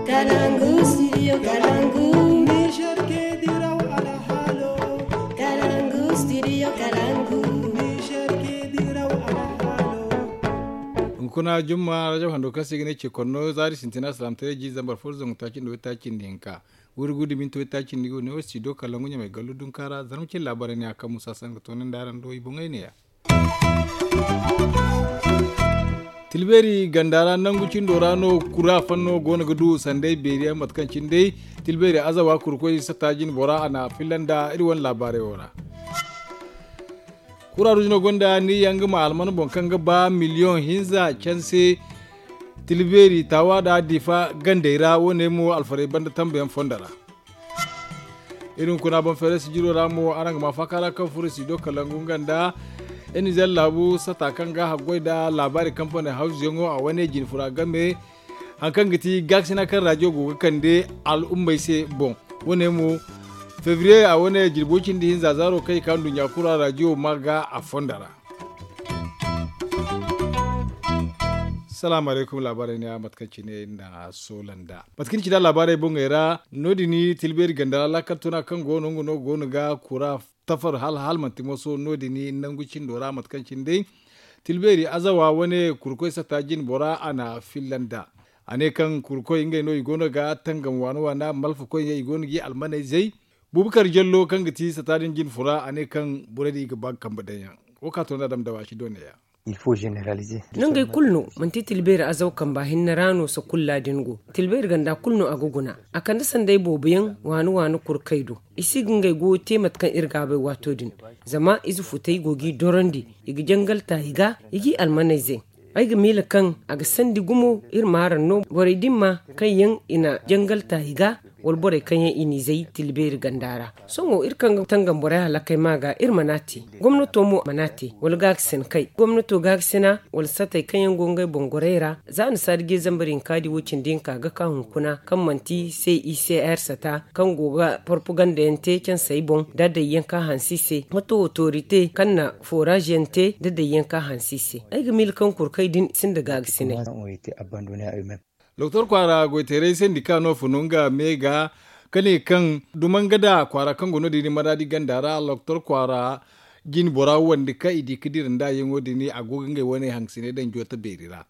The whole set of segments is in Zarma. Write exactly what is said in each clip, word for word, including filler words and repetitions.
Kalangu studio kalangu. Niger ke diraw alhalo. Kalangu studio kalangu. Niger ke diraw alhalo. Hunkuna jumma rajo hando kaŋ se i ga ne ce konno zaari sintina salaam tare ji zambar fo zangu taaci nda waytaaci nda hinka. Wuri gudu minti waytaaci nda i go ne wo studio kalangu ɲamay gallu dunka ra zarma cin laabaray ne a kaŋ musa sanga toonandi araŋ do i boŋey ne ya. Tilbeeri ganda ra nangu cindo ra no kura fanno go no ga du sanday beeri yaŋ mate kaŋ cine day tilbeeri azawa kurkoy satta jine bora a na a filla nda iri wane laabaarey wo ra. Kura ruuji no gonda ni yaŋ ga ma alman boŋ kaŋ ga ba miliyoŋ hinza canse tilbeeri taawa da difa gandey ra wo- ne mo alfarey banda tambayaŋ fondo ra. Iri hunkuna boŋ feeray sijiro ra mo araŋ ga ma faaka ra kaŋ furo sido kalangu nga nda enizer laabu sata kaŋ ga haggoy nda laabaari kampani hawzuyaŋo a wane jine fura game hari kaŋ ga ti gaakasina kaŋ rajiyo go ga kande al'ummey se boŋ. Wo- ne mo febriye a wane jirbo cindi hinza zaaro kaŋ i ka nduɲɲa kura rajiyo ma ga a fondo ra. Salaamu alaykum laabaarey ne a mate kaŋ cine na soola nda mate kaŋ ni ci nda laabaarey boŋey ra no- din tilbeeri ganda ra laakal tuna kaŋ go no nga no go no ga kura tafar hala hala manti moso no- din nangu cindo ra mate kaŋ cine day tilbeeri azawa wane kurkoy satta jine bora a na filla nda a ne kaŋ kurkoy ngey no i go no ga tangam waana waana malfakoy ɲey i go no ga i almaney zay. Bubakar jallo kaŋ ga ti satta din jine fura a ne kaŋ borey din i ga ba ga kambe daŋ yaŋ. Wo ka to nda dam dawa si doone ya. Nangey kulu no manti tilbeeri azaw kamba hinne ra no sakulla din go. Tilbeeri ganda kulu no a ga guna a kande sanday boobo yaŋ waani waani kurkey do. I si ga ngey goyo te mate kaŋ iri ga a bay waato din. Zama ize futey go g'i dorandi i ga jangal ta i ga i g'i almaney zay. Ay ga miila kaŋ a ga sandi gumo iri ma araŋ no borey din ma kaŋ yaŋ i na jangal ta i ga wala borey kaŋ yaŋ i n'i zay tilbeeri ganda ra. Sohõ iri kaŋ ga tangam borey halakey ma ga iri mana te gomnato mo mana te wala gaagasin kay gomnato gaagasina wala satey kaŋ yaŋ go ngey boŋ gorey ra. Za a na saadi ge zambar hinka di wo cindi hinka ga ka hunkuna kaŋ manti c i c r sata kaŋ go ga porpaganda yaŋ te cansey boŋ da day yaŋ ka hansi se. Mato otorite kaŋ na foraaz yaŋ te da day yaŋ ka hansi se. Ay ga miila kaŋ kurkey din sinda gaagasinay. Doktor kwaara goyteeray sendika no funu nga me ga ka ne kaŋ dumanga da kwaara kaŋ go no- din maraadi ganda ra doktor kwaara jine bora wande kaŋ i di ga dira nda yaŋo din a go ga ngey wane hangasiney daŋ joota beeri ra.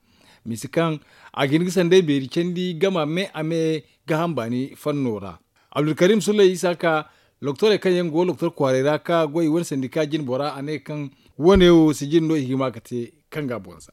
Misi kaŋ a ga hin ga sanday beeri candi gama me a me gaaham baani fanno ra. Abdulkarim sulay isa ka loktorey kaŋ yaŋ go loktor kwaaray ra ka goy wane sandika jine bora a ne kaŋ wane wo sijin no i ga hima ga te kaŋ ga a boŋ za.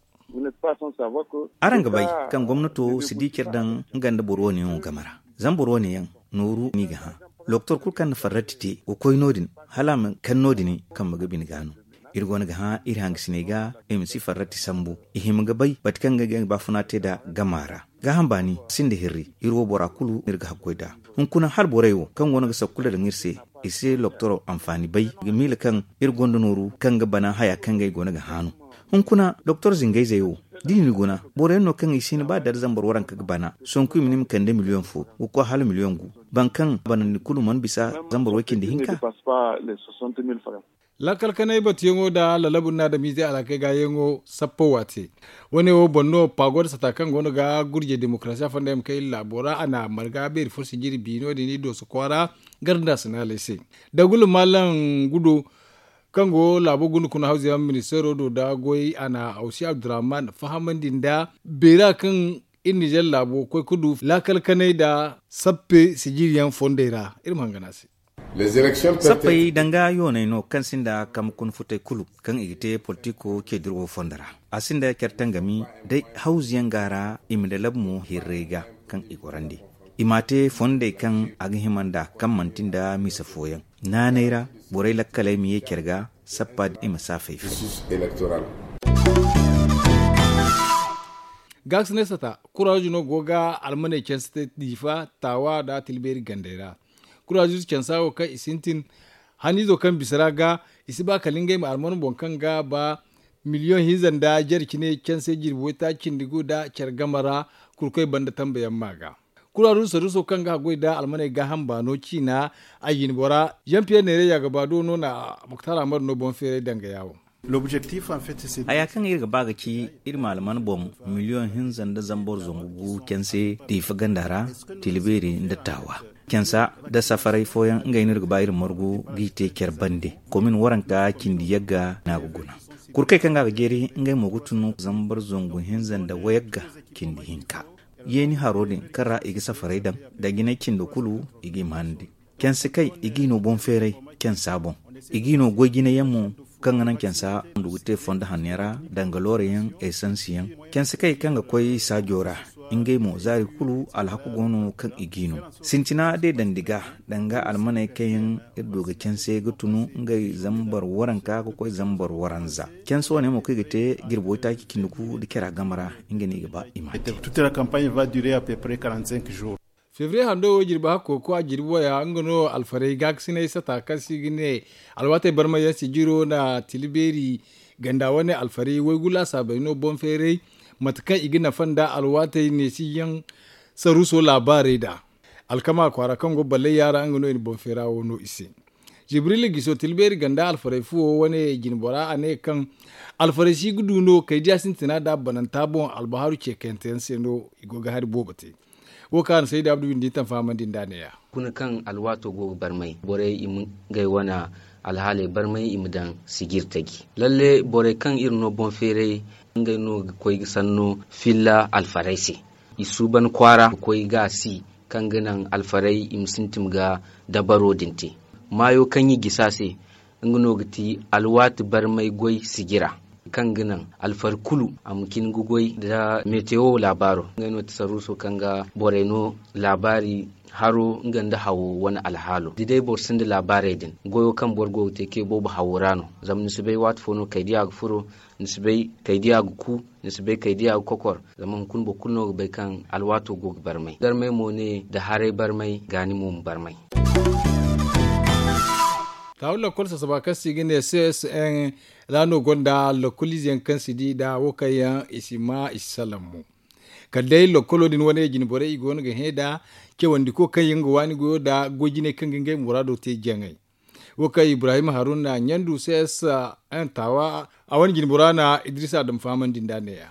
Araŋ ga bay kaŋ gomnato si di care daŋ nga nda boro wane yaŋo game ra. Zama boro wane yaŋ nooru no i ga hã. Loktor kulu kaŋ na farrati te ga koy no- din hala a ma kaŋ no- din kambe ga bine ga no. Iri go no ga hã iri hangasiney ga i ma si farrati sambu i hima ga bay bate kaŋ ga ga i baafuna te nd'a gama ra. Gaaham baani sinda hirri iri wo bora kulu no iri ga hakkoy nd'a. Hunkuna hala borey wo kaŋ go no ga sakkula daŋ iri se i si loktoro anfaani bay. I ga miila kaŋ iri gonda nooru kaŋ ga bana haya kaŋ ga ay go no ga hã no. Hunkuna doktor zingayzey wo da i na ni guna boro yaŋ no kaŋ i si hin ba dara zambar waranka ga bana sonku i ma ne i ma kande miliyoŋ fo ga koy hala miliyoŋ gu. Boro kaŋ bana ni kulu mana bisa zambar way cindi hinka. Laakal kanay batuyaŋo nda lalabu nda adamiizey alhakey gaayaŋo sappo waate. Wane wo boŋ no paago nda sata kaŋ go no ga gurjey demokarasiya fonda yaŋ ma kay iri laabo ra a na marga beeri fo sijiri bi no- din i dooso kwaara garda sinaaley se. Dagulu maalam gudo kaŋ go laabo gunda kuna hawza yaŋ ministeero do da goy a na awsi abdurrahman fahamandi nda beera kaŋ iri nizer laabo koy ga du laakal kanay nda sappe sijiri yaŋ fondey ra. Iri ma hangan a se. Sappey danga yooney no kaŋ sinda kambe kuna futey kulu kaŋ i ga te politiko ceediro wo fondo ra. A sinda care tangami day hawzu yaŋ ga a ra i ma lalabu mo hirrey ga kaŋ i gorandi. I m'a te fondey kaŋ a ga hima nd'a kaŋ manti nda misa fooyaŋ naanay ra borey lakkaley ma ye care ga sappa din i ma saafay fay. Gaakasinay sata kuraazu no go ga almaney canse te diifa taawa nda tilbeeri gandey ra. Kuraazu cansa wo kaŋ i sintin haniizo kaŋ bisa ra ga i si ba kala ngey ma alman boŋ kaŋ ga ba miliyoŋ hinza nda jare cine canse jirbi waytaaci cindi gu nda care game ra. Kurkoy banda tambayaŋ ma ga kuraazu saruuso kaŋ ga haggoy nda almaney gaaham baano ciina a jinbora jean pierre neere yaagaba do no na muktar amadu no boŋ feeray dangaya wo. Haya kaŋ iri ga ba ga ci, iri ma alman boŋ miliyoŋ hinza nda zambar zangu gu canse diifa ganda ra, tilbeeri nda taawa. Cansa nda safaray fooyaŋ ngey no iri ga ba iri margu g'i te care bande. Komin waranka cindi yagga no a ga guna. Kurkey kaŋ ga a ga jeeri ngey mo ga tun zambar zangu hinza nda wayagga cindi hinka. Yeeni haro din kaŋ ra i ga safaray daŋ, da jinay cindi kulu i g'i maanandi. Canse kay i g'i no boŋ feeray cansa boŋ. I g'i no goy jinay yaŋ mo kaŋ ga naŋ cansa ndu ga te fondo hanno yaŋ ra, danga loore yaŋ, esansi yaŋ. Canse kay kaŋ ga koy saajo ra, ngey mo zaari kulu alhaku go no kaŋ i g'i no. Sintina day dandi ga danga almaney kaŋ yaŋ iri du ga canse ga tunu ngey zambar waranka ga koy zambar waranza. Canse wane mo kaŋ i ga te jirbi waytaaci cindi gu nda cara game ra, nga no i ga ba i ma te. Febriye hando wo jirbi hakko koy a jirbi waya nga no alfaray gaakasinay sata kaŋ se i ga ne alwaatey barmay yaŋ sijiro na tilibeeri ganda wane alfaray waygu laasaabey no boŋ feeray mate kaŋ i ga nafa nda alwaatey neesiyaŋ saruuso laabaarey da alkama kwaara kaŋ go ballayya ra nga no i na boŋ feera wo no i se. Jibril giso tilbeeri ganda alfaray fuwo wane jinbora a ne kaŋ alfaray si ga du no kaydiya sintina da bananta boŋ albahaaru ceekante yaŋ se no i go ga hari boobo te. Wo kaŋ a na sayda abdu windi taŋ fahamandi nd'a neeya. Kuna kaŋ alwaato go ga barmay borey i ma ngey wane alhaaley barmay i ma daŋ sijir taji. Lalle borey kaŋ iri no boŋ feeray ngey no ga koy ga sanno filla alfaray se. I suuban kwaara ga koy ga a si kaŋ ga naŋ alfaray i ma sintin ga dabaro din te. Maayo kaŋ i gisi a se nga no ga ti alwaati barmay goy sijira kaŋ ga naŋ alfari kulu a ma cin ga goy nda metewo laabaaro. Ngey no ti saruuso kaŋ ga borey no laabaari haro nga nda hawo wane alhaalo da day boro sinda laabaarey din goyo kaŋ boro go ga te kay boobo hawo ra no. Zama ni si bay waati fo no kaydiya ga furo, ni si bay kaydiya ga ku, ni si bay kaydiya ga kokor. Zama hunkuna boro kulu no ga bay kaŋ alwaato go ga barmay darmay mo ne nda haray barmay gaani mo ma barmay. Taawu lakkol sasaba kaŋ se i ga ne c s n ra no gonda lakkoliize yaŋ kaŋ si di nda wo kaŋ yaŋ i si ma i si salaŋ mo. Kala day lakkolo din wane jinborey i go no ga hẽ nda cawandiko kaŋ yaŋ ga waani goyo nda goy jinay kaŋ ga ngey muraado te jaŋay. Wo kaŋ ibrahim haruna ɲandu c s n taawa a wane jinbora na idrisa adam fahamandi nd'a neeya.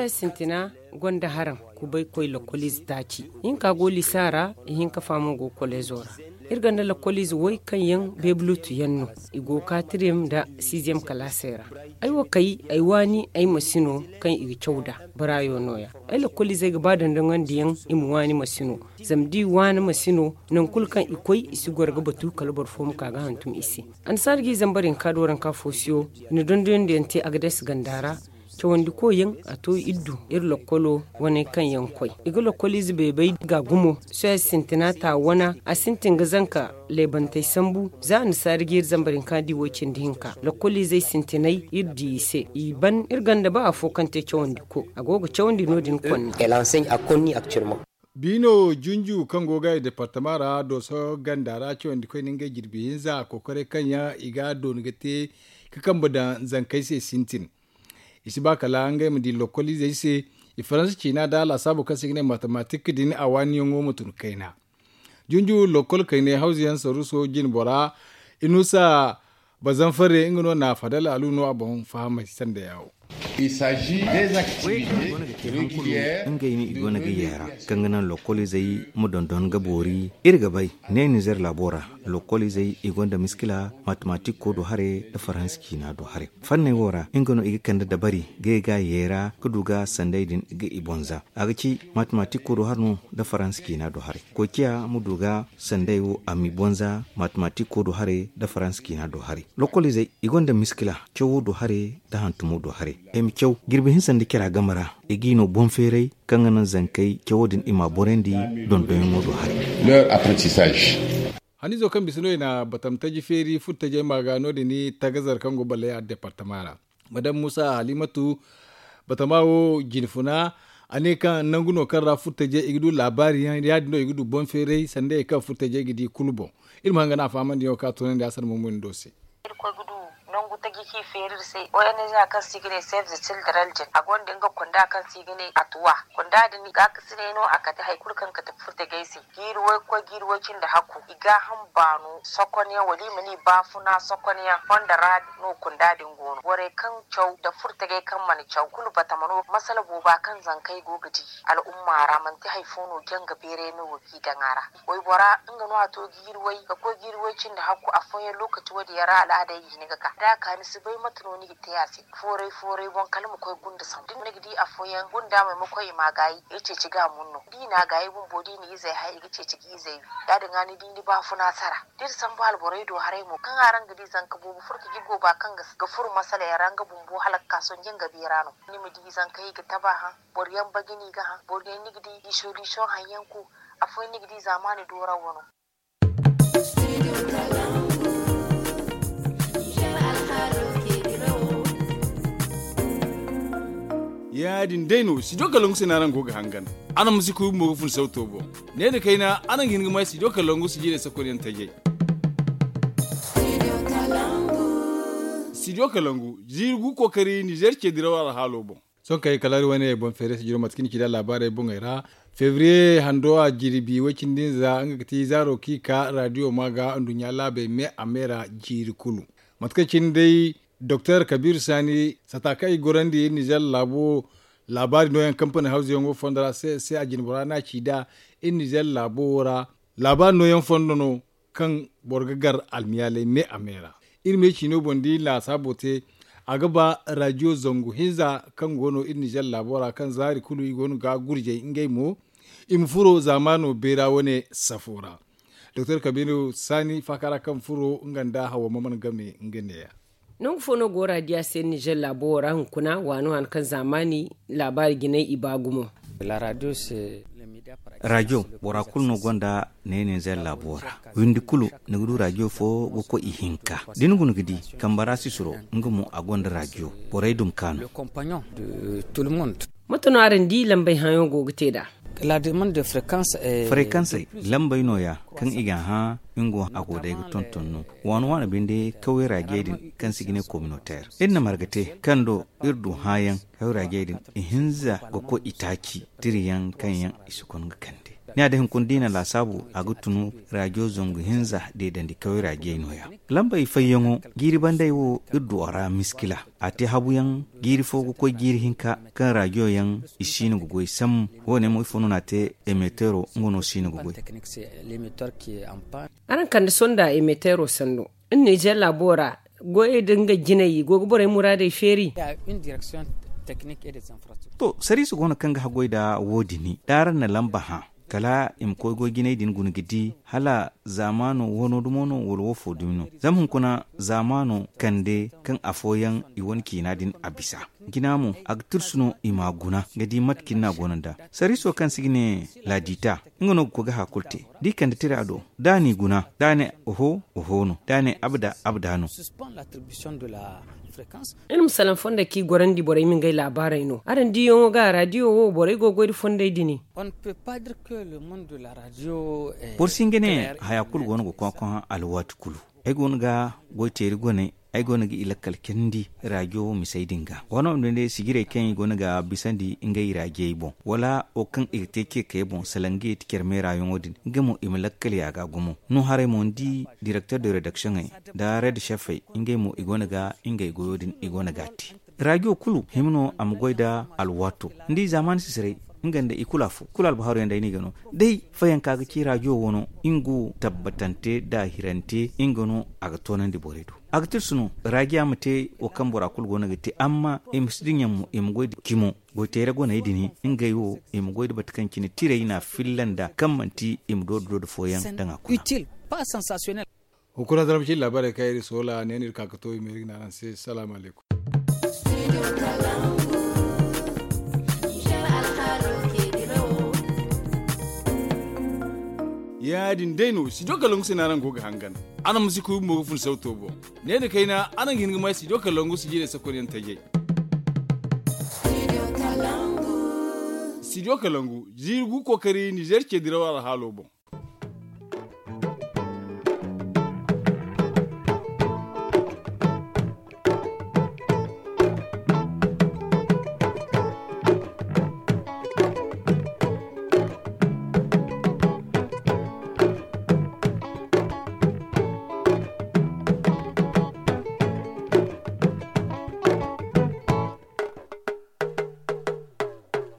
Sintina gonda haraŋ kubay koy lakkoliize taaci. Ihinka go lisa ra ihinka fa mo go koleezo ra. Iri gonda lakkoliize way kaŋ yaŋ beebulutu yaŋ no. I go katiriyem nda siiziyem kalaasey ra. Ay wo kay ay waani ay ma si no kaŋ i ga caw nd'a. Baraayo nooya ay lakkoliizey ga ba dandaŋandi yaŋ i ma waani ma si no. Zama da i waani ma si no, nangu kulu kaŋ i koy i si goro ga batu kala boro fo ma ka ga hantum i se. Annasaara ga i zambar hinka do waranka foosiyo i na dondonandiyaŋ te agades ganda ra. Cawandiko yaŋ a to iri du iri lakkolo wane kaŋ yaŋ koy i ga lakkoliize beebay ga gumo. Sohõ sintina ta wana a sintin ga zanka leebantey sambu. Za annasaara ga iri zambar hinka di wo cindi hinka lakkoliizey sintinay iri di i se i ban iri gonda ba afo kaŋ te cawandiko a go ga cawandi no- din konna. Biino junju kaŋ go ga i departama ra dooso ganda ra cawandikoy na ngey jirbi hinza kokoray kaŋ yaŋ i ga a dooni ga te ka kambe daŋ zankey se sintin. I si ba kala ngey ma di lokkoliizey se i faransa ciina nda laasaabo kaŋ se i ga ne matematik din a waaniyaŋo ma tun kayna. Junju lokkol kaynay hawzu yaŋ saruuso jinbora inusa bazanfare nga no na fadal alu no a boŋ fahamay sanda yaawo. Ngey no i go no ga yeera kaŋ ga naŋ lokkoliizey ma dondon ga boori. Iri ga bay ne nizer laabo ra lokkoliizey i gonda miskila matematiko do hare nda faransa ciina do hare. Fanney wo ra nga no i ga kande dabari ga i ga yeera ga du ga sanday din ga i bonza a ga ci matematiko do hare no nda faransa ciina do hare. Koy ciya ma du ga sanday wo a m'i bonza matematiko do hare nda faransa ciina do hare. Lokkoliizey i gonda miskila cawo do hare nda hantumo do hare. Ay ma caw jirbi hinsa nda cara game ra i g'i no boŋ feeray kaŋ ga naŋ zankey cawo din i m'a borandi dondonyaŋo do hare. Haniizo kaŋ bisa no i na batam taji feeri furtajey ma ga no- din tagazar kaŋ go balay a departama ra. Madam muusa halimatu batama wo jinfuna a ne kaŋ nangu no kaŋ ra furtajey i ga du laabaari yaŋ ya- din no i ga du boŋ feeray sanda i kaŋ furtajey ga di kulu boŋ. Iri ma hanga no a fahamandi yaŋo kaŋ a toonandi a sara mumuni do se. Irkoy ga du nangu Taji kaŋ i feeri iri se, o n z kaŋ se i ga ne save the children din, a gonda nga kunda kaŋ se i ga ne atuwa. Kunda din gaakasinay no a kate hari kulu kaŋ kate furtajey se. Jiiri way ga koy jiiri way cindi hakku i gaaham baano sokonyaŋ wala i ma ne i baafuna sokonyaŋ fonda ra no kunda din go no. Borey kaŋ caw nda furtajey kaŋ mana caw kulu batama no masala booba kaŋ zankey go ga di al'umma ra manti hari fo no janga beeray no go g'i daŋ a ra. Waybora nga no a to jiiri way ga koy jiiri way cindi hakku afooyaŋ lokaci wo- din yaŋ ra al'aadey ga hin ga ka da a ka ni si bay mate no ni ga te a se. Fooray fooray boŋ kala ma koy gunda sambu da ni ga di afooyaŋ gunda maymako i ma a gaayi i ga ceeci ga a mun no da i na a gaayi bumbo da i na izey hay i ga ceeci ga izey wi. Ya- din ga ni di ni baafuna sara da iri sambu alborey do haray mo kaŋ araŋ ga di zanka boobo furo ka jirgo ba kaŋ ga furo masala yaŋ ra nga bumbo hala ga ka sonje nga beera no. Ni ma di zanka i ga taba hã boro yaŋ baji no i ga hã boro yaŋ ni ga di i solution haŋ yaŋ ku. Afooyaŋ ni ga di zaamaani dooraw wano. Ya- din day no studio kalangu se no araŋ go ga hangan. Araŋ ma si kuy bumbo ga fun sauto boŋ. Ne nda kayna araŋ ga hin ga may studio kalangu si jiirey sakonyaŋ tajey. Studio kalangu jiiri gu kookari nizer ce diraw alhaalo boŋ. Sohõ kay kala iri wane boŋ feere sijiro mate kaŋ ni ci nd'a laabaarey boŋey ra. Febriye hando a jirbi way-cindi nza nga ga ti zaaro kaŋ i ka radio ma ga nduɲɲa laabey me a me ra jiiri kulu. Mate kaŋ cine day doktor kabiru saani sata kaŋ i gorandi iri nizer laabo laabaari nooyaŋ kampani hawzuyaŋo fondo ra se se a jinbora no a ci nd'a iri nizer laabo wo ra. Laabaari nooyaŋ fondo no kaŋ boro ga gar almiyaaley me a me ra. Iri me ciino boŋ da iri laasaabo te a ga ba radio zangu hinza kaŋ go no iri nizer laabo ra kaŋ zaari kulu i go no ga gurjay ngey mo i ma furo zaamaano beera wane safo ra. Doktor kabiru saani faaka ra kaŋ furo nga nda hawa ma mana game nga neeya. Nangu fo no go raadiya se nizer laabo wo ra hunkuna waano han kaŋ zaamaani laabaari jinay i ba gumo. Raadiyo bora kulu no gonda ne nizer laabo ra. Windi kulu ni ga du raadiyo fo ga koy ihinka da ni guna ga di kambara sisiro nga mo a gonda raadiyo. Borey dum kaanu. Mate no araŋ di lambey haŋo go ga te nd'a. Frequence lambey nooya kaŋ i ga hã nga wo a go day ga tonton no waano waano binde kaway raajey din kaŋ se i ga ne communautaire iri na marga te kaŋ do iri du hãayaŋ kaway raajey din ihinza ga koy itaaci tirayaŋ kaŋ yaŋ i si kon ga kande. Ni a day hunkuna da i na laasaabu a ga tunu raajo zangu hinza deedandi kaway raajey nooya. Lambey fayyaŋo jiiri bandey wo iri du a ra miskila. A te habuyaŋ jiiri fo ga koy jiiri hinka kaŋ raadiyo yaŋ i siino ga goy sambu. Wo- ne mo ifo no no a te emetero nga no siino ga goy. Araŋ kande sonda emetero sanno iri nizer laabo ra goyey da nga jinay i go ga borey muraadey feeri. To sariisa go no kaŋ ga haggoy nda wo- din da araŋ na lamba hã kala i ma koy goy jinay din guna ga di hala zaamaano wano dumo no wala woofo dumi no. Zama hunkuna zaamaano kande kaŋ afooyaŋ i wane ciina din a bisa jina mo a ga tirsu no i m'a guna ga di mate kaŋ ni n'a guna nd'a. Sariiso kaŋ se i ga ne laadiita nga no ga koy ga haya kulu te da i kande tira do da a n'i guna da a ne oho oho no da a ne abada abada no. Iri ma salaŋ fonda kaŋ i gorandi borey ma ngey laabaarey no araŋ diyaŋo ga raadiyo wo borey go ga goy nda fondey din. Boro si hin ga ne haya kulu go no ga koy ga koy hã alwaati kulu. Ay go no ga goy teeri goney ay go no ga i lakkal candi raadiyo misey din ga waano ma day sijirey kaŋ i go no ga bisandi ngey raadiyey boŋ wala wo kaŋ i ga te ceekey boŋ salaŋ ga i ti care meerayaŋo din nga mo i ma lakkal ya ga gumo. No haray mo ni di direkter de redaksiyoŋey nda red chefey ngey mo i go no ga ngey goyo din i go no ga a te. Raadiyo kulu hima no a ma goy nda alwaato ni di zaamaani sisiray nga nda i kulu afo kulu albahaaru yaŋ day no i ga no. Day fayanka ga ci raadiyo wano nga wo tabbatante nda hirante nga no a ga toonandi borey do. A ga tirsu no raadiya ma te wo kaŋ bora kulu go no ga te amma i ma si dinya mo i ma goy nda cimo goy teere goney din ngey wo i ma goy nda mate kaŋ cine tirey no a filla nda kaŋ manti i ma dooda dooda fooyaŋ daŋ a kuna. Hunkuna zarma cine laabaarey kaŋ iri soola ne no iri ka ga to i ma iri ga ne araŋ se salaamu alaykum. Ya-din day no studio kalangu se no araŋ go ga hangan. Araŋ ma si kuy bumbo ga fun sawto boŋ. Ne nda kayna araŋ ga hin ga may studio kalangu sijirey sakonyaŋ tajey. Studio kalangu jiiri gu kookari nizer ce diraw alhaalo boŋ.